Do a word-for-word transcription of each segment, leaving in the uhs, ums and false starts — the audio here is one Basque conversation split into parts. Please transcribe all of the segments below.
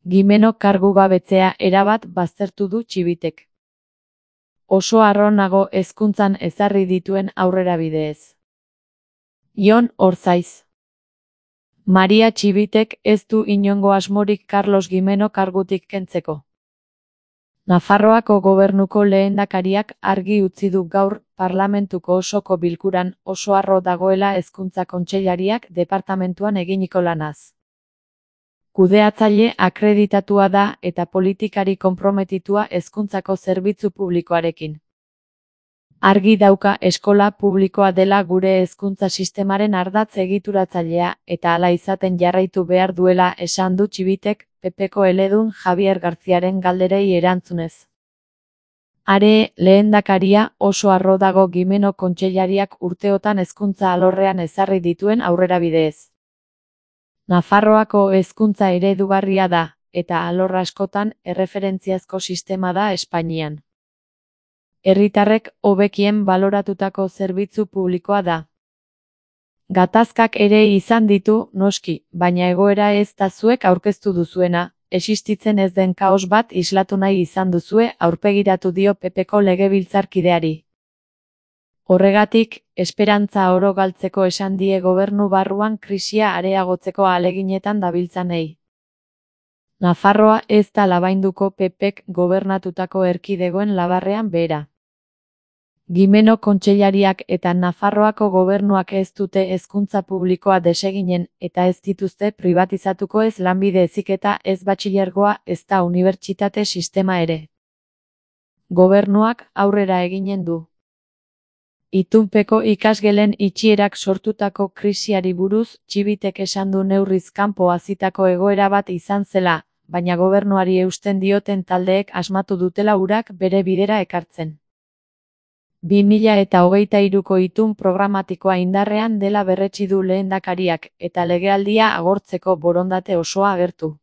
Gimeno kargugabetzea erabat baztertu du Txibitek. Oso harro nago hezkuntzan ezarri dituen aurrerabideez. Jon Orzaiz. Maria Txibitek ez du inongo asmorik Carlos Gimeno kargutik kentzeko. Nafarroako gobernuko lehendakariak argi utzi du gaur parlamentuko osoko bilkuran oso harro dagoela hezkuntza kontseilariak departamentuan eginiko lanaz. Kudeatzaile akreditatua da eta politikari konprometitua hezkuntzako zerbitzu publikoarekin. Argi dauka eskola publikoa dela gure hezkuntza sistemaren ardatz egituratzailea eta hala izaten jarraitu behar duela esan du Txibitek P Pko eledun Javier Garziaren galderei erantzunez. Are, lehendakaria oso harro dago Gimeno kontseilariak urteotan hezkuntza alorrean ezarri dituen aurrerabideez. Nafarroako hezkuntza eredugarria da, eta alor askotan erreferentziazko sistema da Espainian. Herritarrek hobekien baloratutako zerbitzu publikoa da. Gatazkak ere izan ditu, noski, baina egoera ez da zuek aurkeztu duzuena, existitzen ez den kaos bat islatu nahi izan duzue aurpegiratu dio P Pko legebiltzarkideari. Horregatik, esperantza oro galtzeko esan die gobernu barruan krisia areagotzeko ahaleginetan dabiltzanei. Nafarroa ez da labainduko P Pk gobernatutako erkidegoen labarrean behera. Gimeno kontseilariak eta Nafarroako gobernuak ez dute hezkuntza publikoa deseginen eta ez dituzte pribatizatuko ez lanbide heziketa ez batxilergoa ez da unibertsitate sistema ere. Gobernuak aurrera eginen du. Itunpeko ikasgelen itxierak sortutako krisiari buruz Txibitek esan du neurriz kanpo hazitako egoera bat izan zela, baina gobernuari eusten dioten taldeek asmatu dutela urak bere bidera ekartzen. bi mila eta hogeita hiruko itun programatikoa indarrean dela berretsi du lehendakariak eta legealdia agortzeko borondate osoa agertu.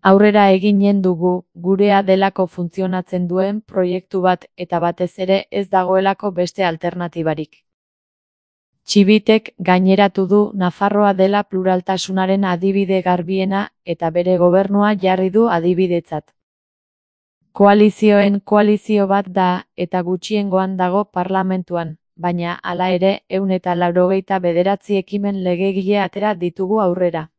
Aurrera eginen dugu, gurea delako funtzionatzen duen proiektu bat eta batez ere ez dagoelako beste alternatibarik. Txibitek gaineratu du Nafarroa dela pluraltasunaren adibide garbiena eta bere gobernua jarri du adibidetzat. Koalizioen koalizio bat da eta gutxiengoan dago parlamentuan, baina hala ere ehun eta laurogeita bederatzi ekimen legegile atera ditugu aurrera.